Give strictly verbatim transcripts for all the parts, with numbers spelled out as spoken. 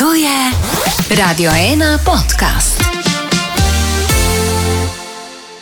To je Radio ena podcast.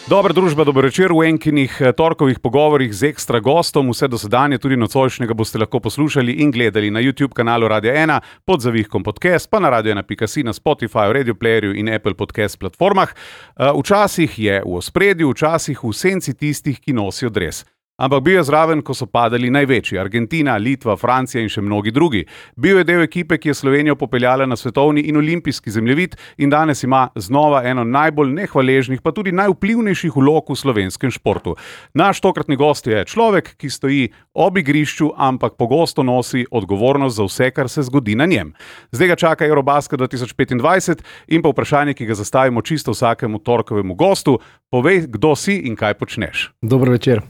Dobra družba, dober večer v enkinih torkovih pogovorih z ekstra gostom. Vse dosedanje, tudi nocojšnjega, boste lahko poslušali in gledali na YouTube kanalu Radia ena, pod zavihkom podcast, pa na radio ena pika si, na Spotify, Radio Playerju in Apple Podcast platformah. Včasih je v ospredju, včasih v senci tistih, ki nosijo dres. Ampak bil je zraven, ko so padali največji, Argentina, Litva, Francija in še mnogi drugi. Bil je del ekipe, ki je Slovenijo popeljala na svetovni in olimpijski zemljevid in danes ima znova eno najbolj nehvaležnih, pa tudi najvplivnejših vlog v slovenskem športu. Naš tokratni gost je človek, ki stoji ob igrišču, ampak pogosto nosi odgovornost za vse, kar se zgodi na njem. Zdaj ga čaka Eurobasket dva tisoč petindvajset in pa vprašanje, ki ga zastavimo čisto vsakemu torkovemu gostu. Povej, kdo si in kaj počneš. Dobro večer.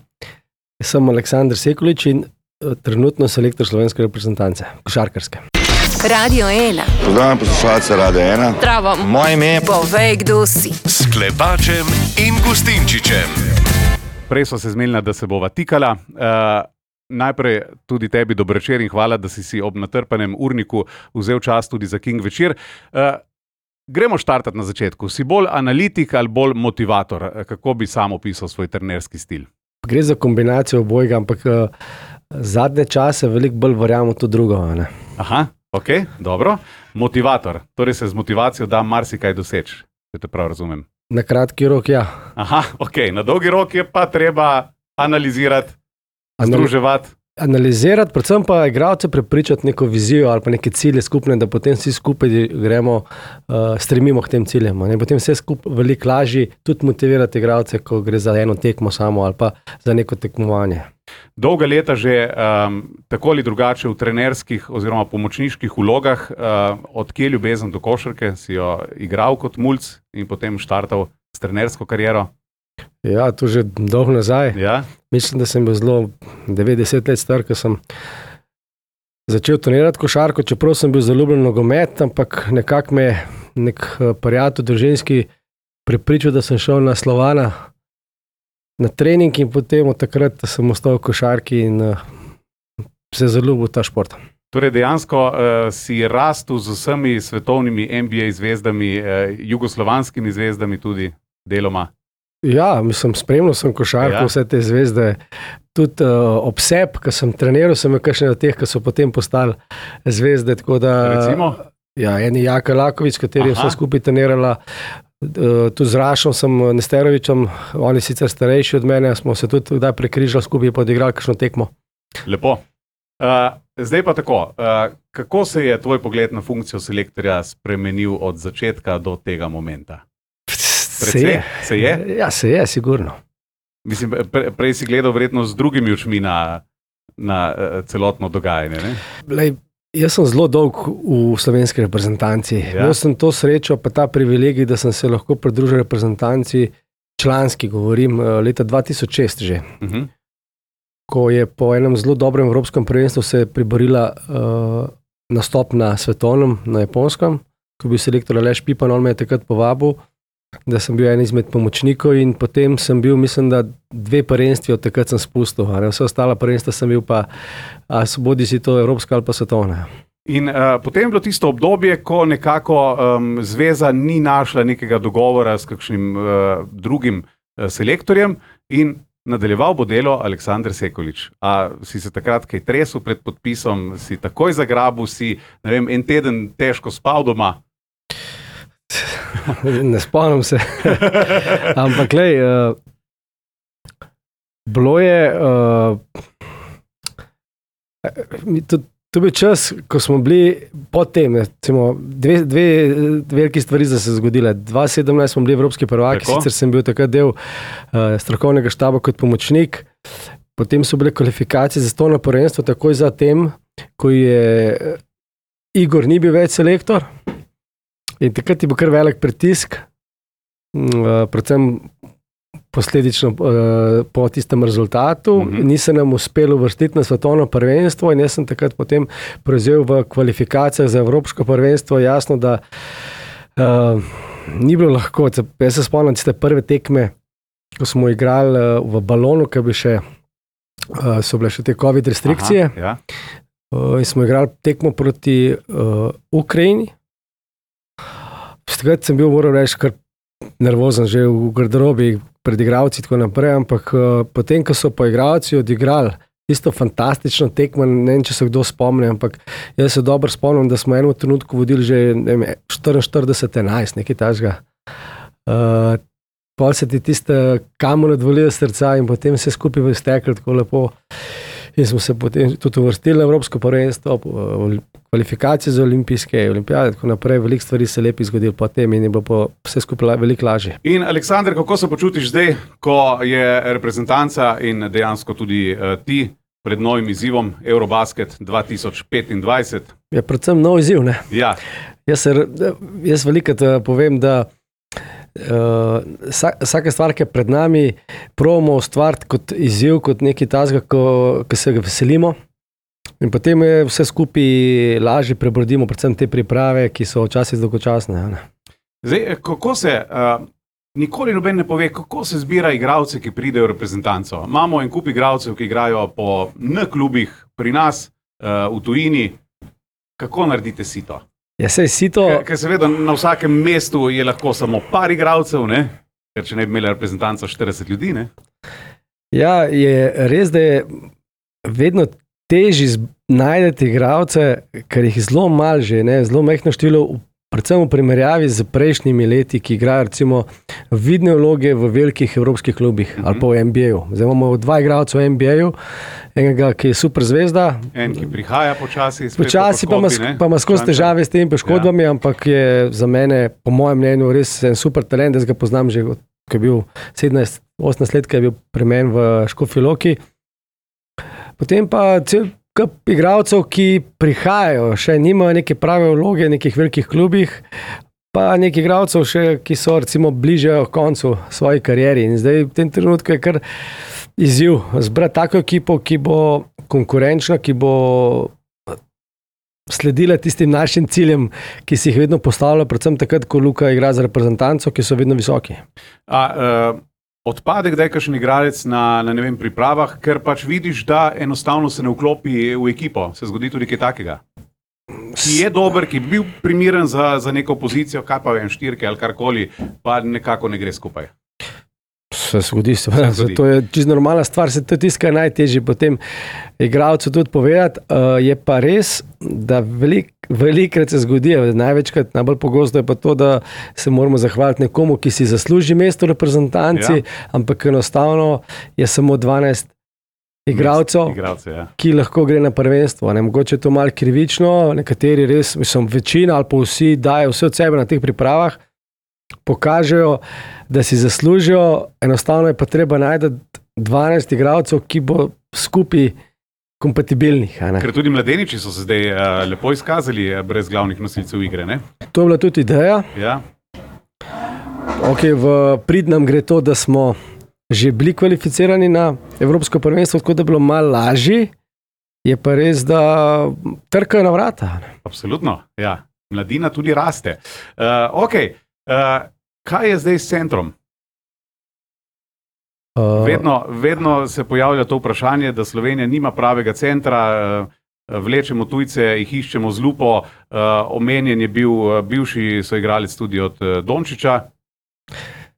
Sem Aleksander Sekulič in trenutno selektor slovenske reprezentance, košarkarske. Radio ena. Pozdravljam poslušalce Radio ena. Zdravo. Moje ime je... Povej, kdo si. S Klepačem in Gustinčičem. Prej sva se zmenila, da se bova tikala. Uh, najprej tudi tebi dober večer in hvala, da si si ob natrpanem urniku vzel čas tudi za King večer. Uh, gremo štartati na začetku. Si bolj analitik ali bolj motivator? Kako bi sam opisal svoj trenerski stil? Gre za kombinacijo obojega, ampak uh, zadnje čase veliko bolj verjamem to drugo. Ne? Aha, ok, dobro. Motivator, torej se z motivacijo da marsikaj doseči, če te prav razumem. Na kratki rok, ja. Aha, ok, na dolgi rok je pa treba analizirati, združevati. Analizirati, predvsem pa igralce prepričati neko vizijo ali pa neke cilje skupne, da potem vsi skupaj gremo, uh, stremimo k tem ciljem. Ne? Potem vse skupaj veliko lažje tudi motivirati igralce, ko gre za eno tekmo samo ali pa za neko tekmovanje. Dolga leta že um, tako ali drugače v trenerskih oziroma pomočniških vlogah, uh, od kje ljubezen do košarke, si jo igral kot mulc in potem štartal s trenersko kariero? Ja, to že dolgo nazaj. Ja? Mislim, da sem bil zelo devetdeset let star, ko sem začel trenirati košarko, čeprav sem bil zaljubljen v nogomet, ampak nekako me nek prijatelj družinski prepričal, da sem šel na Slovana na trening in potem od takrat sem ostal v košarki in uh, se zaljubil v ta šport. Torej dejansko uh, si rastel z vsemi svetovnimi N B A zvezdami, uh, jugoslovanskimi zvezdami tudi deloma. Ja, mislim, spremljal sem košarko, ja. Vse te zvezde. Tudi uh, obseb, ko sem treniral, sem je kakšne od teh, ki so potem postali zvezde. Tako da, recimo? Ja, eni Jaka Lakovič, s katerim sem skupaj trenirala. Uh, tudi z Rašom sem Nesterovičem, oni sicer starejši od mene, smo se tudi kdaj prekrižali skupaj, pa odigrali kakšno tekmo. Lepo. Uh, zdaj pa tako, uh, kako se je tvoj pogled na funkcijo selektorja spremenil od začetka do tega momenta? Se je. se je? Ja, se je, sigurno. Mislim, pre, prej si gledal verjetno z drugimi očmi na, na uh, celotno dogajanje, ne? Lej, jaz sem zelo dolg v slovenski reprezentanci. Ja. Imel sem to srečo, pa ta privilegij, da sem se lahko pridružil reprezentanci, članski govorim, leta dva tisoč šest že. Uh-huh. Ko je po enem zelo dobrem evropskem prvenstvu se priborila uh, nastop na svetovnem, na Japonskem, ko bi selektor Aleš Pipan, on me je takrat povabil, da sem bil en izmed pomočnikov in potem sem bil, mislim, da dve prvenstvi od takrat sem spustil. Vse ostala prvenstva sem bil pa, a bodi si to evropska ali pa svetovna. In uh, potem je bilo tisto obdobje, ko nekako um, zveza ni našla nekega dogovora s kakšnim uh, drugim uh, selektorjem in nadaljeval bo delo Aleksander Sekulič. A si se takrat kaj tresel pred podpisom, si takoj zagrabil, si, ne vem, en teden težko spal doma? Ne spomnim se. Ampak lej, uh, bilo je uh, to, to bil čas, ko smo bili potem, recimo, dve, dve veliki stvari so se zgodile. dva tisoč sedemnajst smo bili evropski prvaki, Tako? Sicer sem bil takrat del uh, strokovnega štaba kot pomočnik, potem so bile kvalifikacije za to na prvenstvo, takoj za tem, ko je Igor ni bil več selektor. In takrat je bil kar velik pritisk, uh, predvsem posledično uh, po tistem rezultatu. Mm-hmm. Ni se nam uspelo uvrstiti na svetovno prvenstvo in jaz sem takrat potem prevzel v kvalifikacijah za evropsko prvenstvo. Jasno, da uh, ni bilo lahko. Jaz se spomnim tiste prve tekme, ko smo igrali uh, v balonu, ki bi še, uh, so bile še te covid restrikcije. Aha, ja. uh, in smo igrali tekmo proti uh, Ukrajini. takrat sem bil, moram reči, kar nervozen že v garderobi pred igralci in tako naprej, ampak uh, potem, ko so po igralci odigrali isto fantastično tekmo, ne vem, če se kdo spomni, ampak jaz se dobro spomnim, da smo enem trenutku vodili že štiriinštirideset enajst, nekaj takega. Uh, pol se ti tiste kamen odvalijo srca in potem se skupaj stekli tako lepo. In smo se potem tudi uvrstili na Evropsko prvenstvo, kvalifikacije za olimpijske, olimpijade, tako naprej, veliko stvari se lepi zgodilo potem in je bilo vse skupaj veliko lažje. In Aleksander, kako se počutiš zdaj, ko je reprezentanca in dejansko tudi uh, ti pred novim izzivom Eurobasket dva tisoč petindvajset? Je predvsem nov izziv, ne? Ja. Jaz, se, jaz velikrat povem, da Uh, vsaka stvar, ki je pred nami, probamo ustvariti kot izziv, kot nekaj tazga, ko, ko se ga veselimo in potem je vse skupaj lažje prebrodimo, predvsem te priprave, ki so včasih dolgočasne. Zdaj, kako se, uh, nikoli noben ne pove, kako se zbira igralce, ki pridejo v reprezentanco. Imamo en kup igralcev, ki igrajo po N-klubih pri nas, uh, v tujini. Kako naredite sito? Ja, sej sito... Ker seveda na vsakem mestu je lahko samo par igralcev, ne? Ker če ne bi imeli reprezentanco štirideset ljudi, ne? Ja, je res, da je vedno težje najdeti igralce, ker jih zelo malo že, ne? Zelo majhno število, predvsem v primerjavi z prejšnjimi leti, ki igrajo recimo vidne vloge v velikih evropskih klubih, uh-huh. ali pa v N B A-ju. Zdaj imamo dva igralca v N B A-ju, enega, ki je super zvezda. En, ki prihaja počasi. Počasi pa ima skozi težave s temi poškodbami, ja. Ampak je za mene, po mojem mnenju, res en super talent, da ga poznam že, ko je bil sedemnajst osemnajst let, ko je bil pri meni v Škofji Loki. Potem pa cel kup igralcev, ki prihajajo, še nimajo neke prave vloge v nekih velikih klubih, pa nekih igralcev še, ki so recimo bliže koncu svoji karieri. In zdaj v tem trenutku je kar izziv zbrati tako ekipo, ki bo konkurenčna, ki bo sledila tistim našim ciljem, ki si jih vedno postavlja, predvsem takrat, ko Luka igra za reprezentanco, ki so vedno visoki. A, uh... Odpade kdaj kakšen igralec na, na ne vem, pripravah, ker pač vidiš, da enostavno se ne vklopi v ekipo. Se zgodi tudi kaj takega? Ki je dober, ki bi bil primeren za, za neko pozicijo, kaj pa vem, štirke ali karkoli, pa nekako ne gre skupaj. Se zgodi, se zgodi. To je čisto normalna stvar, se to je tisto, kar je najtežje potem igralcu tudi povedati. Uh, je pa res, da velik, velikrat se zgodi, največkrat, najbolj pogosto je pa to, da se moramo zahvaliti nekomu, ki si zasluži mesto v reprezentanci, ja. Ampak enostavno je samo dvanajst igralcev, ja. Ki lahko gre na prvenstvo. Ne, mogoče je to malo krivično, nekateri res, mislim, večina ali pa vsi dajo vse od sebe na teh pripravah, pokažejo, da si zaslužijo, enostavno je pa treba najti dvanajst igralcev, ki bo skupaj kompatibilnih. Ker tudi mladeniči so se zdaj uh, lepo izkazali brez glavnih nosilcev igre, ne? To je bila tudi ideja. Ja. Ok, v prid nam gre to, da smo že bili kvalificirani na Evropsko prvenstvo, tako da je bilo malo lažje, je pa res, da trkajo na vrata. Absolutno, ja. Mladina tudi raste. Uh, ok, uh, kaj je zdaj s centrom? Uh, vedno, vedno se pojavlja to vprašanje, da Slovenija nima pravega centra, uh, vlečemo tujce, jih iščemo z lupo, uh, omenjen je bil uh, bivši soigralec tudi od uh, Dončiča,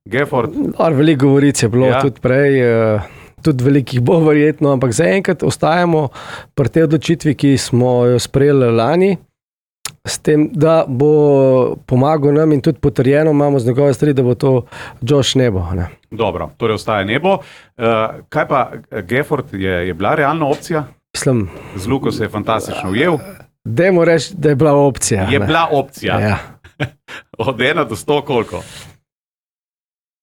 Gafford. Veliko govoric je bilo, ja. Tudi prej, uh, tudi velikih bo verjetno, ampak zaenkrat ostajamo pri tej odločitvi, ki smo jo sprejeli lani, s tem, da bo pomagal nam in tudi potrjeno imamo z njegove strani, da bo to Josh Nebo. Ne? Dobro, torej ostaja Nebo. Uh, kaj pa Gafford, je, je bila realna opcija? Mislim, z Luko se je fantastično ujel. Dajmo reči, da je bila opcija. Je ne? bila opcija. Ja. Od ena do sto koliko?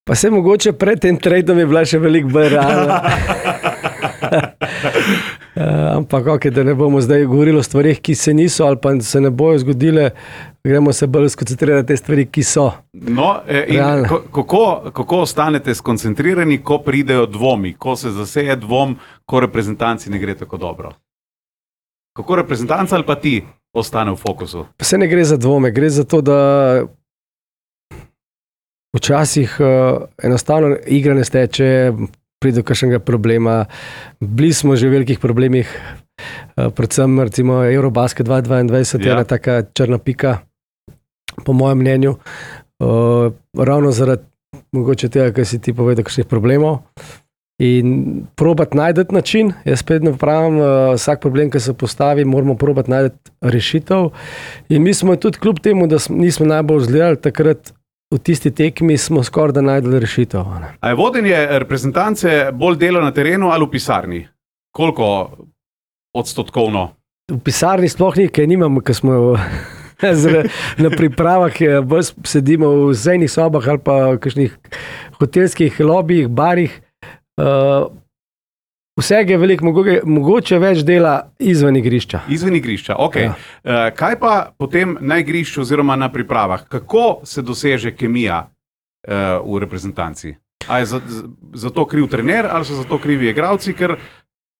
Pa se mogoče pred tem tradom je bila še veliko bolj realna. Uh, ampak ok, da ne bomo zdaj govorili o stvarih, ki se niso ali pa se ne bojo zgodile, gremo se bolj skoncentrirati na te stvari, ki so. No, in kako, kako ostanete skoncentrirani, ko pridejo dvomi, ko se zaseje dvom, ko reprezentanci ne gre tako dobro? Kako reprezentanca ali pa ti ostane v fokusu? Pa se ne gre za dvome, gre za to, da včasih uh, enostavno igra ne steče, pride do kakšnega problema. Bili smo že v velikih problemih, uh, predvsem recimo Eurobasket dva tisoč dvaindvajset ja. Je ena taka črna pika, po mojem mnenju. uh, ravno zaradi mogoče tega, kar si ti povedal, kakšnih problemov. In probati najdeti način, jaz spet ne pravim, uh, vsak problem, ki se postavi, moramo probati najdeti rešitev. In mi smo tudi kljub temu, da smo, nismo najbolj zgledali takrat v tisti tekmi, smo skoraj da najdeli rešitev. Ne? A je vodenje reprezentance bolj delo na terenu ali v pisarni? Koliko odstotkovno? V pisarni sploh nekaj nimamo, ker smo na pripravah, bolj sedimo v zajnih sobah ali pa v kakšnih hotelskih lobijih, barih. Uh, vsega je veliko, mogoče, mogoče več dela izven igrišča. Izven igrišča, ok. Ja. Uh, kaj pa potem na igrišču oziroma na pripravah? Kako se doseže kemija uh, v reprezentanci? A je za, za to kriv trener ali so za to krivi igralci? Ker,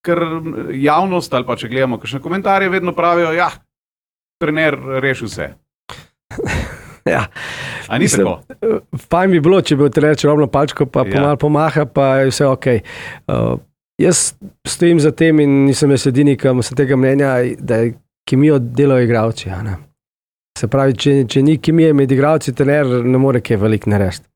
ker javnost ali pa če gledamo kakšne komentarje, vedno pravijo, ja, trener reši vse. Ja. A ni tako? Fajn bi bilo, če bi trener čarobno palčko pa Ja. pomal pomaha, pa je vse ok. Uh, jaz stojim za tem in nisem jaz edini, ki sem tega mnenja, da je kemijo delajo igralci. a ne. Se pravi, če, če ni kemije med igralci, trener ne more kaj veliko narediti.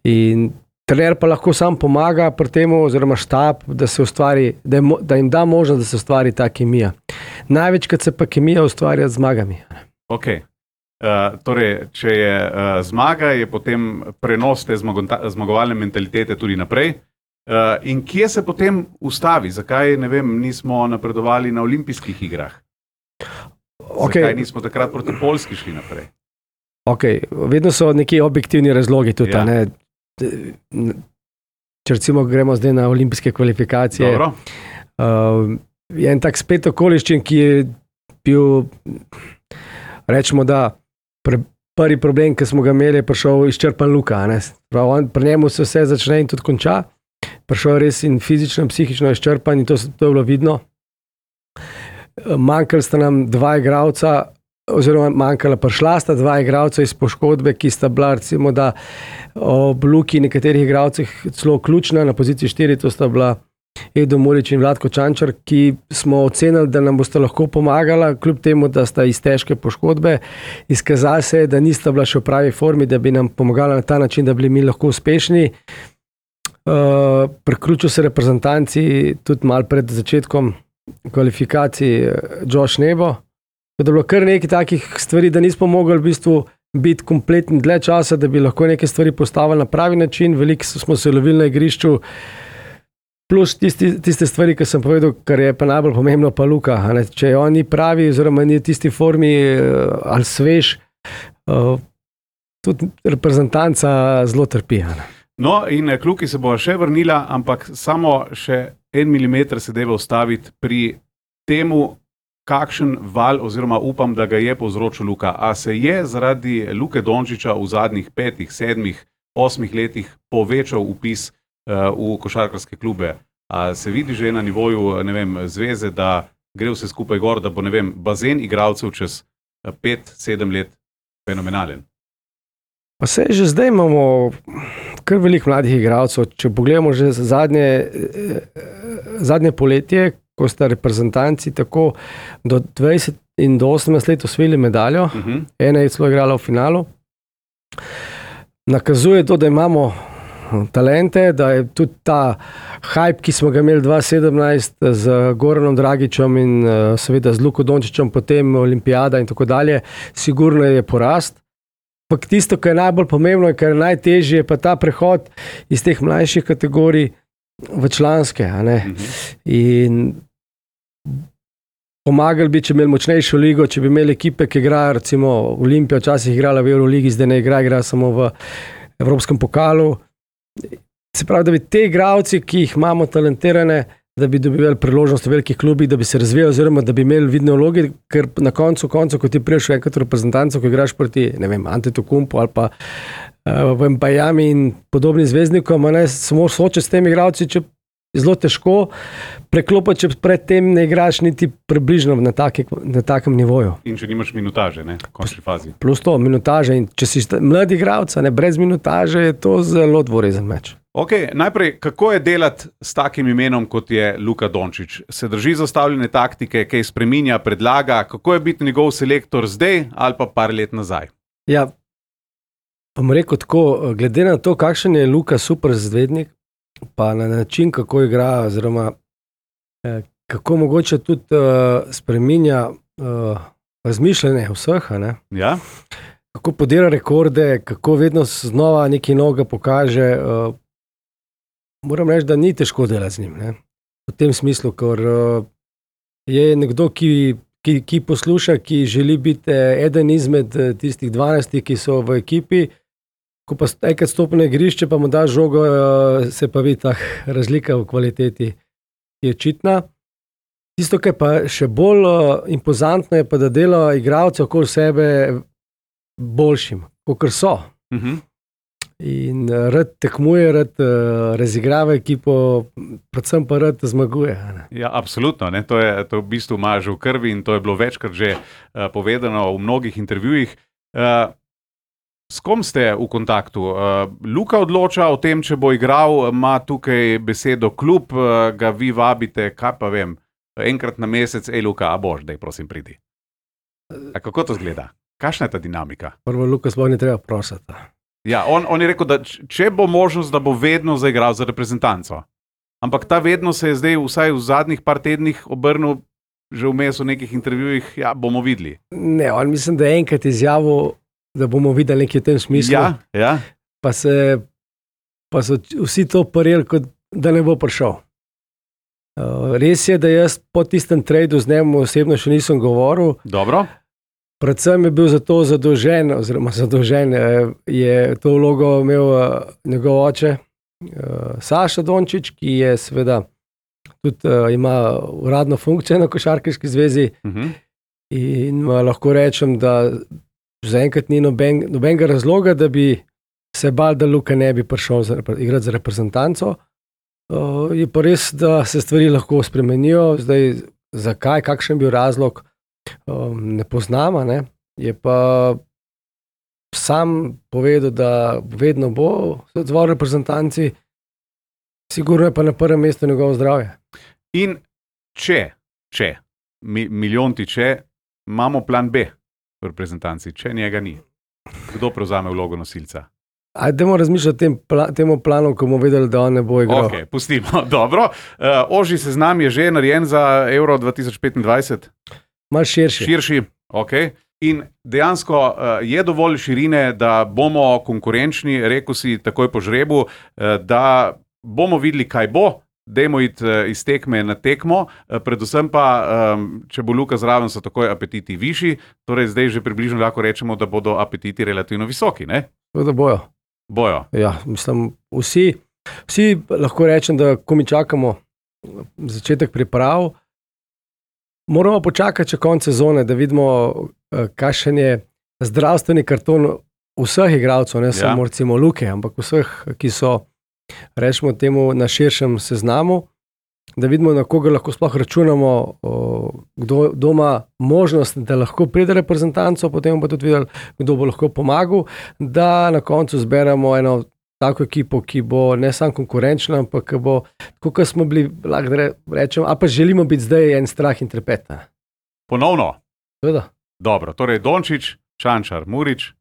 In trener pa lahko sam pomaga pri temu, oziroma štab, da se ustvari, da, je, mo- da jim da možnost, da se ustvari ta kemija. Največkrat se pa kemija ustvarja z zmagami. Ok. Uh, torej, če je uh, zmaga, je potem prenos te zmagonta- zmagovalne mentalitete tudi naprej. Uh, in kje se potem ustavi? Zakaj, ne vem, nismo napredovali na olimpijskih igrah? Okay. Zakaj nismo takrat proti Poljski šli naprej? Okay. Vedno so neki objektivni razlogi tudi. Ja. Ja. Ne? Če recimo gremo zdaj na olimpijske kvalifikacije, Dobro. uh, je en tak spet okoliščen, ki je bil, rečemo, da pre, prvi problem, ki smo ga imeli, je prišel izčrpan Luka. a ne. Prav, on, pri njemu se vse začne in tudi konča. Prišel je res in fizično in psihično izčrpan in to, to je bilo vidno. Manjkali sta nam dva igralca, oziroma manjkala, prišla sta dva igralca iz poškodbe, ki sta bila recimo, da ob Luki nekaterih igralcih celo ključna, na poziciji štiri, to sta bila Edo Murič in Vlatko Čančar, ki smo ocenili, da nam boste lahko pomagala, kljub temu, da sta iz težke poškodbe. Izkazalo se je, da nista bila še v pravi formi, da bi nam pomagala na ta način, da bi bili mi lahko uspešni. Uh, Priključil se reprezentanci tudi malo pred začetkom kvalifikacij Josh Nebo. Da je bilo kar nekaj takih stvari, da nismo mogli v bistvu biti kompletni dlje časa, da bi lahko neke stvari postavili na pravi način. Veliko smo se lovili na igrišču, plus tisti, tiste stvari, ki sem povedal, kar je pa najbolj pomembno, pa Luka. a ne. Če on ni pravi, oziroma ni v tisti formi ali svež, uh, tudi reprezentanca zelo trpi. a ne. No, in k Luki se bo še vrnila, ampak samo še en milimeter se deva ustaviti pri temu, kakšen val, oziroma upam, da ga je povzročil Luka. A se je zaradi Luke Dončiča v zadnjih petih, sedmih, osmih letih povečal vpis uh, v košarkarske klube? A se vidi že na nivoju, ne vem, zveze, da gre vse skupaj gor, da bo, ne vem, bazen igralcev čez pet, sedem let fenomenalen? Pa se že zdaj imamo kar veliko mladih igralcev. Če pogledamo že zadnje, zadnje poletje, ko sta reprezentanci tako do dvajset in do osemnajst let osvojili medaljo, Uh -huh. ena je celo igrala v finalu, nakazuje to, da imamo talente, da je tudi ta hype, ki smo ga imeli dva tisoč sedemnajst z Goranom Dragičem in seveda z Luko Dončičem, potem olimpijada in tako dalje, sigurno je porast. Ampak tisto, kar je najbolj pomembno in kar je najtežje, je pa ta prehod iz teh mlajših kategorij v članske. A ne? Uh -huh. In pomagali bi, če bi imeli močnejšo ligo, če bi imeli ekipe, ki igrajo, recimo Olimpija včasih igrala v Euroligi, zdaj ne igra, igra samo v Evropskem pokalu. Se pravi, da bi te igralci, ki jih imamo talentirane, da bi dobivali priložnost v velikih klubih, da bi se razvijali, oziroma da bi imeli vidne vloge, ker na koncu, koncu ko ti priješ enkrat v reprezentanco, ko igraš proti, ne vem, Antetokounmpu ali pa uh, v Mbajami in podobnim zvezdnikom, a ne, samo soočati s temi igralci, če je zelo težko preklopiti, če predtem ne igraš niti približno na, taki, na takem nivoju. In če nimaš minutaže, ne, v končni fazi. Plus to, minutaže. In če si mladi igralec, ne, brez minutaže, je to zelo dvorezen meč. Ok, najprej, kako je delati s takim imenom, kot je Luka Dončić? Se drži zastavljene taktike, kaj spreminja, predlaga? Kako je biti njegov selektor zdaj ali pa par let nazaj? Ja, bom rekel tako, glede na to, kakšen je Luka super zvednik, pa na način, kako igra, oziroma eh, kako mogoče tudi uh, spreminja uh, razmišljanje vseh, ne? Ja? Kako podira rekorde, kako vedno znova nekaj noga pokaže. Uh, moram reči, da ni težko delati z njim. Ne? V tem smislu, ker uh, je nekdo, ki, ki, ki posluša, ki želi biti eden izmed tistih dvanajstih, ki so v ekipi. Ko pa enkrat stopi na igrišče, pa mu da žogo, uh, se pa vidi ta razlika v kvaliteti, ki je očitna. Tisto, kar je pa še bolj uh, impozantno, je pa, da dela igralce okoli sebe boljšim, kakor so. Uh-huh. In uh, rad tekmuje, rad uh, razigrava ekipo, predvsem pa rad zmaguje. Ne? Ja, absolutno. Ne? To je to v bistvu ima že v krvi in to je bilo večkrat že uh, povedano v mnogih intervjujih. Uh, s kom ste v kontaktu? Uh, Luka odloča o tem, če bo igral, ima tukaj besedo klub, uh, ga vi vabite, kaj pa vem, enkrat na mesec, ej Luka, a boš, daj prosim pridi. A kako to zgleda? Kakšna je ta dinamika? Prvo Luka sploh ne treba prositi. Ja, on, on je rekel, da če bo možnost, da bo vedno zaigral za reprezentanco. Ampak ta vedno se je zdaj vsaj v zadnjih par tednih obrnil, že vmes v nekih intervjujih, ja, bomo videli. Ne, on mislim, da je enkrat izjavil, da bomo videli nekaj v tem smislu. Ja, ja. Pa, se, pa so vsi to parili, kot da ne bo prišel. Uh, res je, da jaz po tistem tradu z njim osebno še nisem govoril. Dobro. Predvsem je bil za to zadolžen, oziroma zadolžen je to vlogo imel njegov oče, Saša Dončić, ki je seveda tudi ima uradno funkcijo na Košarkarski zvezi. Uh-huh. In lahko rečem, da zaenkrat ni noben, nobenega razloga, da bi se bal, da Luka ne bi prišel za, igrati za reprezentanco. Uh, je pa res, da se stvari lahko spremenijo. Zdaj, zakaj, kakšen je bil razlog, um, ne poznamo. Ne? Je pa sam povedal, da vedno bo se odzval reprezentanci, sigurno je pa na prvem mestu njegovo zdravje. In če, če, mi, milijonti če, imamo plan B v reprezentanci, če njega ni. Kdo prevzame vlogo nosilca? Ajdemo razmišljati o tem pla, temu planu, ko bomo vedeli, da on ne bo igral. Ok, pustimo. Dobro. Uh, ožji seznam je že narejen za Euro dva tisoč petindvajset? Mal širši. Širši, ok. In dejansko uh, je dovolj širine, da bomo konkurenčni, rekel si takoj po žrebu, uh, da bomo videli, kaj bo, dajmo iti uh, iz tekme na tekmo, uh, predvsem pa, um, če bo Luka zraven, so takoj apetiti višji, torej zdaj že približno lahko rečemo, da bodo apetiti relativno visoki, ne? Da bojo. Bojo. Ja, mislim, vsi, vsi lahko rečem, da ko mi čakamo začetek priprav, moramo počakati še konec sezone, da vidimo, kakšen je zdravstveni karton vseh igralcev, ne samo ja. recimo Luke, ampak vseh, ki so, rečemo temu, na širšem seznamu, da vidimo, na koga lahko sploh računamo, kdo ima možnost, da lahko pride reprezentanco, potem pa tudi videli, kdo bo lahko pomagal, da na koncu zberemo eno tako ekipo, ki bo ne samo konkurenčna, ampak ki bo, tako kot smo bili, lahko rečemo, a pa želimo biti zdaj en strah in trepet. Ponovno? Seveda. Dobro, torej Dončić, Čančar, Murić,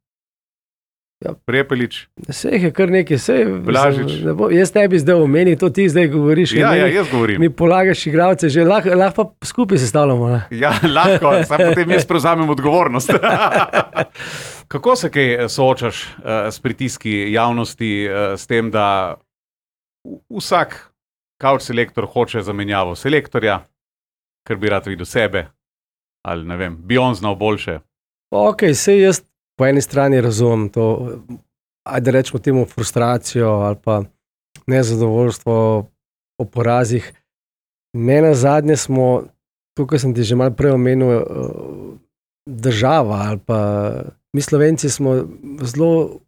ja. Prepelić. Vseh je kar nekaj, sej, Blažič. Ne bo, jaz ne bi zdaj omenil, to ti zdaj govoriš. Ja, meni, ja, jaz govorim. Mi polagaš igralce, že lahko lah pa skupaj sestavljamo. Ne? Ja, lahko, samo potem jaz prevzamem odgovornost. Kako se kaj soočaš uh, s pritiski javnosti, uh, s tem, da vsak couch selektor hoče zamenjavo selektorja, ker bi rad videl sebe, ali ne vem, bi on znal boljše? Ok, sej jaz po eni strani razumem to, ajde rečemo temu frustracijo ali pa nezadovoljstvo o porazih. Ne na zadnje smo, tukaj sem ti že malo prej omenil, država ali pa mi Slovenci smo zelo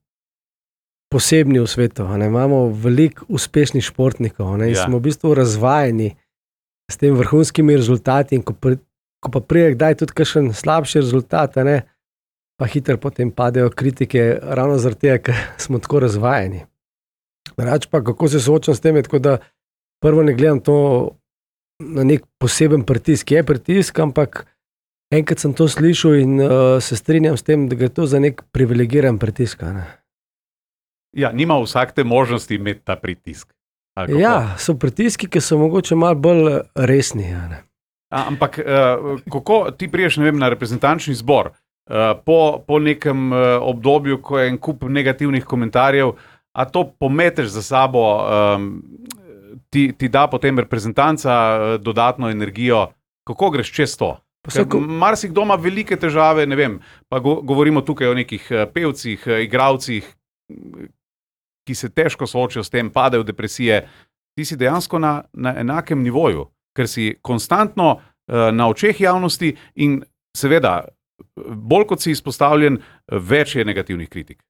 posebni v svetu. Ne? Imamo veliko uspešnih športnikov ne? In ja. smo v bistvu razvajeni s tem vrhunskimi rezultati in ko, pri, ko pa prije kdaj tudi kakšen slabši rezultat, ne? Pa hitro potem padejo kritike ravno zaradi tega, ker smo tako razvajeni. Rač pa, kako se soočam s tem, je tako, da prvo ne gledam to na nek poseben pritisk. Je pritisk, ampak enkrat sem to slišal in uh, se strinjam s tem, da gre to za nek privilegiran pritisk. Ne? Ja, nima vsak te možnosti imeti ta pritisk. Ja, so pritiski, ki so mogoče malo bolj resni. Ja, ne. A, ampak uh, kako ti priješ, ne vem, na reprezentančni zbor, uh, po, po nekem uh, obdobju, ko je en kup negativnih komentarjev, a to pometeš za sabo, um, ti, ti da potem reprezentanca uh, dodatno energijo, kako greš čez to? Ko... Marsikdo ima velike težave, ne vem, pa go, govorimo tukaj o nekih uh, pevcih, uh, igravcih, ki se težko soočijo s tem, padejo v depresije. Ti si dejansko na, na enakem nivoju, ker si konstantno uh, na očeh javnosti in seveda, bolj kot si izpostavljen, več je negativnih kritik.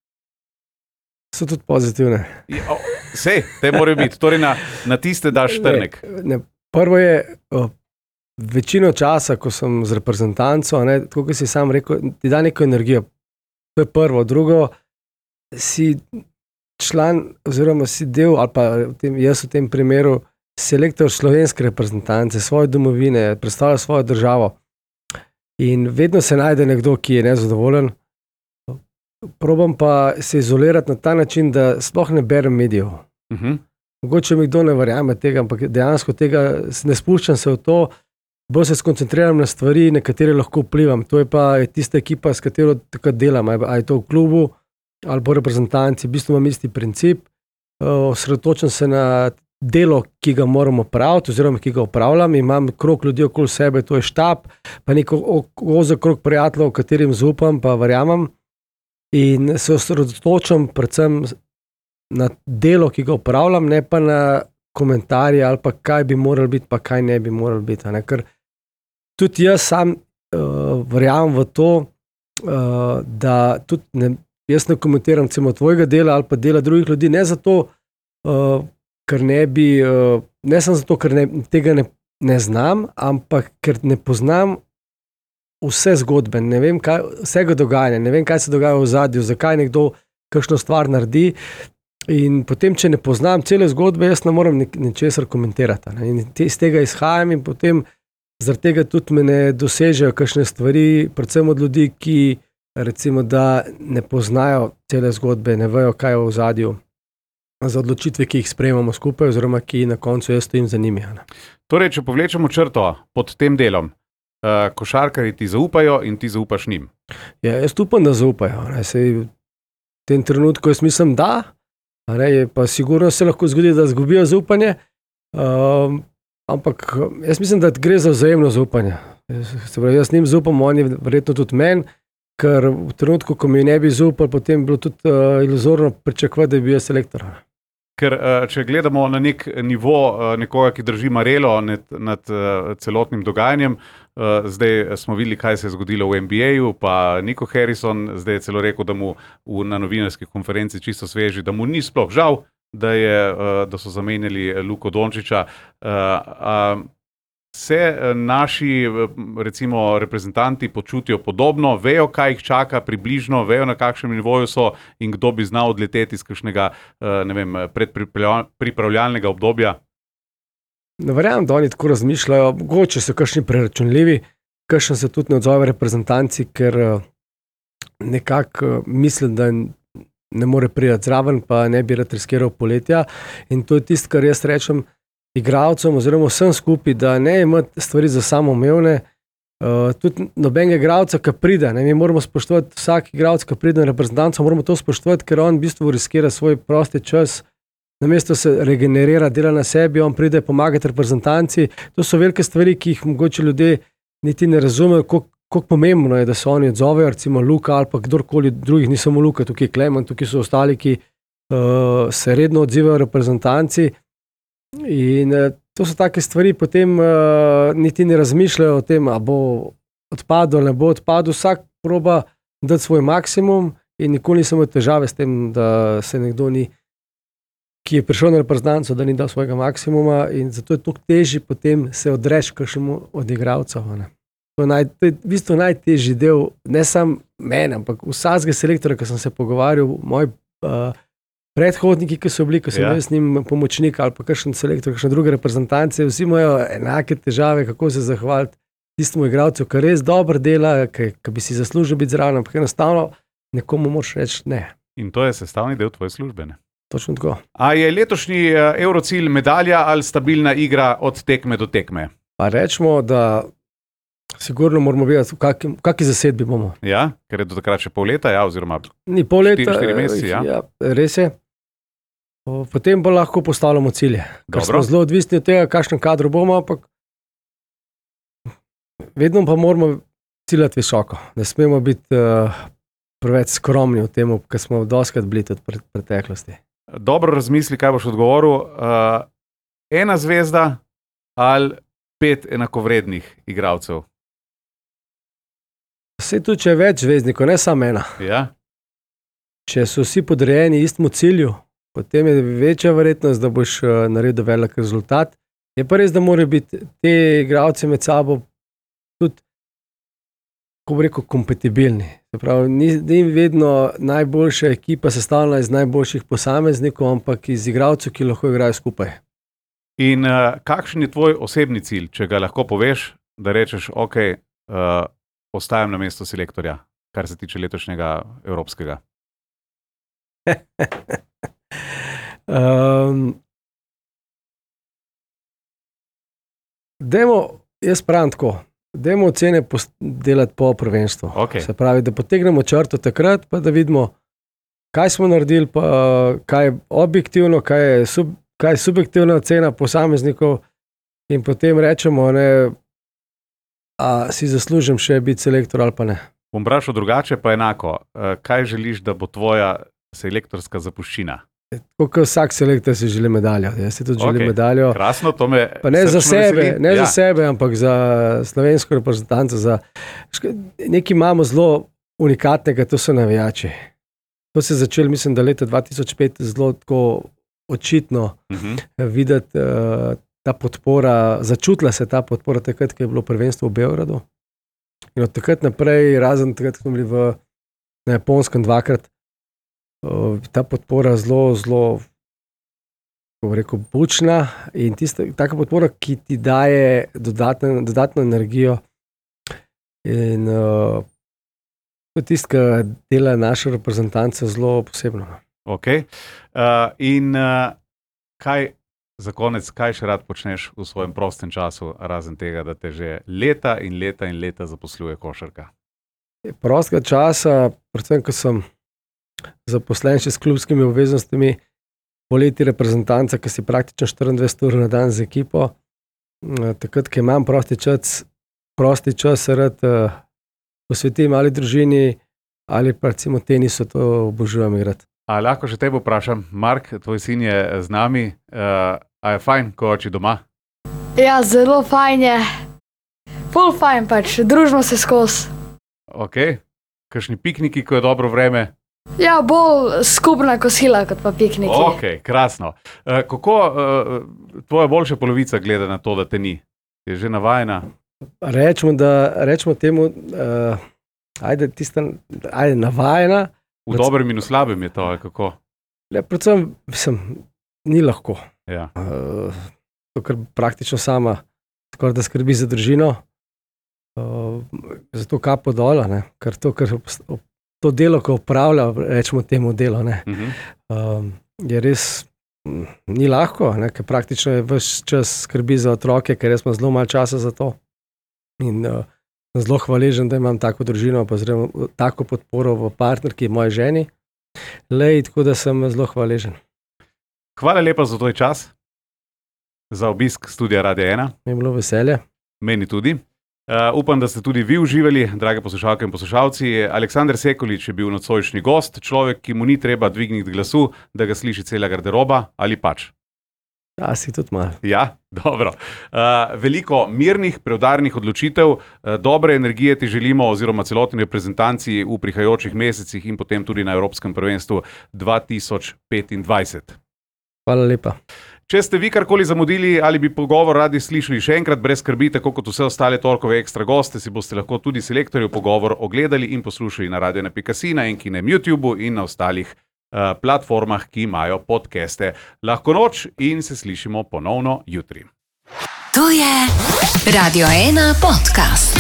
So tudi pozitivne. Ja, sej, te morajo biti. Torej na, na tiste daš trnek. Ne, ne. Prvo je, o, večino časa, ko sem z reprezentanco, ne, tako kot si sam rekel, ti da neko energijo. To je prvo. Drugo, si član oziroma si del, ali pa v tem, jaz v tem primeru, selektor slovenske reprezentance, svoje domovine, predstavlja svojo državo. In vedno se najde nekdo, ki je nezadovoljen. Probam pa se izolirati na ta način, da sploh ne berem medijev. Uh-huh. Mogoče mi kdo ne verjame tega, ampak dejansko tega ne spuščam se v to, bolj se skoncentriram na stvari, na katere lahko vplivam. To je pa tista ekipa, s katero takrat delam, ali je to v klubu, ali po reprezentanci. V bistvu imam isti princip. Osredotočam se na delo, ki ga moramo opraviti, oziroma ki ga opravljam. Imam krog ljudi okoli sebe, to je štab, pa neko ozek krog prijateljev, katerim zaupam, pa verjamem. In se osredotočam predvsem na delo, ki ga opravljam, ne pa na komentarje ali pa kaj bi moralo biti, pa kaj ne bi moralo biti. Ne? Ker tudi jaz sam uh, verjamem v to, uh, da tudi ne, jaz ne komentiram celo tvojega dela ali pa dela drugih ljudi, ne zato, uh, ker ne bi, uh, ne samo zato, ker ne, tega ne, ne znam, ampak ker ne poznam vse zgodbe, ne vem, kaj, vsega dogajanja, ne vem, kaj se dogaja v ozadju, zakaj nekdo kakšno stvar naredi. In potem, če ne poznam cele zgodbe, jaz ne morem ničesar komentirati. Ne? In te, iz tega izhajam in potem zaradi tega tudi me ne dosežejo kakšne stvari, predvsem od ljudi, ki recimo, da ne poznajo cele zgodbe, ne vejo, kaj je v ozadju za odločitve, ki jih sprejemamo skupaj, oziroma ki na koncu jaz stojim za njimi. Ne? Torej, če povlečemo črto pod tem delom, Uh, košarkarji ti zaupajo in ti zaupaš njim. Ja, jaz upam, da zaupajo. Ne, sej, v tem trenutku jaz mislim, da, ne, pa sigurno se lahko zgodi, da zgubijo zaupanje, um, ampak jaz mislim, da gre za vzajemno zaupanje. Jaz, se pravi, jaz njim zaupam, oni verjetno tudi meni, ker v trenutku, ko mi ne bi zaupal, potem bi bilo tudi uh, iluzorno pričakovati, da bi bil selektor. Ker če gledamo na nek nivo nekoga, ki drži marelo nad, nad celotnim dogajanjem, zdaj smo videli, kaj se je zgodilo v N B A-ju, pa Nico Harrison zdaj je celo rekel, da mu v, na novinarski konferenci čisto sveži, da mu ni sploh žal, da, je, da so zamenjali Luko Dončića. Se naši recimo reprezentanti počutijo podobno, vejo, kaj jih čaka približno, vejo, na kakšnem nivoju so in kdo bi znal odleteti iz kakšnega, ne vem, predpripravljalnega obdobja? Ne verjamem, da oni tako razmišljajo, mogoče so kakšni preračunljivi, kakšen se tudi ne odzove reprezentanci, ker nekako mislim, da ne more priti zraven, pa ne bi rad riskiral poletja. In to je tisto, kar jaz rečem igralcem oziroma vsem skupaj, da ne imati stvari za samoumevne. Uh, tudi nobenega igralca, ki pride, ne, mi moramo spoštovati vsak igralec, ki pride na reprezentanco, moramo to spoštovati, ker on v bistvu riskira svoj prosti čas, namesto se regenerira, dela na sebi, on pride pomagati reprezentanci. To so velike stvari, ki jih mogoče ljudje niti ne razumejo, koliko pomembno je, da se oni odzovejo, recimo Luka ali pa kdorkoli drugih, ni samo Luka, tukaj je Klemen, tukaj so ostali, ki uh, se redno odzivajo reprezentanci. In uh, to so take stvari, potem uh, niti ne razmišljajo o tem, a bo odpadel, ne bo odpadel, vsak proba dati svoj maksimum in nikoli nisem imel težave s tem, da se nekdo ni, ki je prišel na reprezentanco, da ni dal svojega maksimuma in zato je toliko težje potem se odreči kakšnemu od igralcev. To je, naj, to je v bistvu najtežji del, ne samo mene, ampak vsakega selektora, ki sem se pogovarjal, moj uh, predhodniki, ki so bili, ko sem ja. s njim pomočnik ali pa kakšen selektor, kakšne druge reprezentance, vsi imajo enake težave, kako se zahvaliti tistemu igralcu, ki res dobro dela, ki, ki bi si zaslužil biti zraven, ampak enostavno nekomu moraš reči ne. In to je sestavni del tvoje službe. Ne? Točno tako. A je letošnji Eurocilj medalja ali stabilna igra od tekme do tekme? Pa rečemo, da sigurno moramo vedeti, v kakšni kaki zasedbi bomo. Ja, ker je do takrat še pol leta, ja, oziroma Ni pol leta, štiri, štiri meseci, ja. ja, res je. O, Potem pa lahko postavljamo cilje. Ker Dobro. smo zelo odvisni od tega, kakšen kadro bomo, ampak vedno pa moramo ciljati visoko. Ne smemo biti uh, preveč skromni v tem, ker smo doskrat bili tudi v preteklosti. dobro razmisli, kaj boš odgovoril. Uh, ena zvezda ali pet enakovrednih igralcev? Vse tu, če je več zvezdnikov, ne samo ena. Ja? Če so vsi podrejeni istemu cilju, potem je večja verjetnost, da boš uh, naredil velik rezultat. Je pa res, da morajo biti te igralci med sabo tudi, kako bi rekel, kompatibilni. Se pravi, ni, ni vedno najboljša ekipa sestavljena iz najboljših posameznikov, ampak iz igralcev, ki lahko igrajo skupaj. In uh, kakšen je tvoj osebni cilj, če ga lahko poveš, da rečeš, ok, uh, ostajam na mestu selektorja, kar se tiče letošnjega evropskega? um, dajmo, jaz pravim tako, dajmo ocene delati po prvenstvu. Okay. Se pravi, da potegnemo črto takrat, pa da vidimo, kaj smo naredili, pa kaj je objektivno, kaj je, sub, kaj je subjektivna ocena posameznikov in potem rečemo, ne, a si zaslužim še biti selektor ali pa ne. Bom vprašal drugače, pa enako. Uh, kaj želiš, da bo tvoja selektorska zapuščina? Tako kot vsak selektor si želi medaljo. Jaz si tudi Okay. želim medaljo. Krasno, to me Pa ne za srčno sebe, veseli. ne ja. za sebe, ampak za slovensko reprezentanco. Za... Nekaj imamo zelo unikatnega, to so navijači. To se je začelo, mislim, da leta dva tisoč pet zelo tako očitno Uh-huh. videti uh, ta podpora, začutila se ta podpora takrat, ko je bilo prvenstvo v Beogradu. In od takrat naprej, razen takrat, ko smo bili v, na Japonskem dvakrat, uh, ta podpora zelo, zelo, kako bi rekel, bučna in tista, taka podpora, ki ti daje dodatno, dodatno energijo. In uh, to je tisto, kar dela našo reprezentanco zelo posebno. Okay. Uh, in uh, kaj za konec, kaj še rad počneš v svojem prostem času, razen tega, da te že leta in leta in leta zaposluje košarka? Prostega časa, predvsem, ko sem zaposlen še s klubskimi obveznostmi, poleti reprezentanca, ki si praktično štiriindvajset ur na dan z ekipo, takrat, ko imam prosti čas, prosti čas se rad uh, posvetim ali družini, ali pa recimo tenisu, to obožujem igrati. A lahko še tebe vprašam, Mark, tvoj sin je z nami, uh, a je fajn, ko oči doma? Ja, zelo fajn je. Ful fajn pač, družimo se skozi. Ok, kakšni pikniki, ko je dobro vreme? Ja, bolj skupna kosila, kot pa pikniki. Ok, krasno. Uh, kako uh, tvoja boljša polovica gleda na to, da te ni? Je že navajena? Rečemo, da, rečemo temu, uh, ajde, tista, ajde, navajena. V dobrem in v slabem je to, ali kako? Le, predvsem, mislim, ni lahko. Ja. Uh, to, ker praktično sama skoraj da skrbi za družino, uh, zato kapo dol, ker to, ker to delo, ko opravlja, rečemo temu delo, ne, Uh-huh. um, je res m, ni lahko, ne, ker praktično je ves čas skrbi za otroke, ker jaz imam zelo malo časa za to. In uh, sem zelo hvaležen, da imam tako družino, pa zelo tako podporo v partnerki, moji ženi. Lej, tako da sem zelo hvaležen. Hvala lepa za tvoj čas, za obisk studia Radia ena. Mi je bilo veselje. Meni tudi. Uh, upam, da ste tudi vi uživali, drage poslušalke in poslušalci. Aleksander Sekulič je bil nocojšnji gost, človek, ki mu ni treba dvigniti glasu, da ga sliši cela garderoba, ali pač. Ja, si tudi malo. Ja, dobro. Uh, veliko mirnih, preudarnih odločitev, uh, dobre energije ti želimo oziroma celotni reprezentanci v prihajajočih mesecih in potem tudi na Evropskem prvenstvu dva tisoč petindvajset. Hvala lepa. Če ste vi karkoli zamudili ali bi pogovor radi slišali še enkrat, brez skrbi, tako kot vse ostale torkove ekstra goste, si boste lahko tudi selektorjev pogovor ogledali in poslušali na radio ena pika si, na Enkinem YouTubeu in na ostalih uh, platformah, ki imajo podcaste. Lahko noč in se slišimo ponovno jutri. To je Radio ena podcast.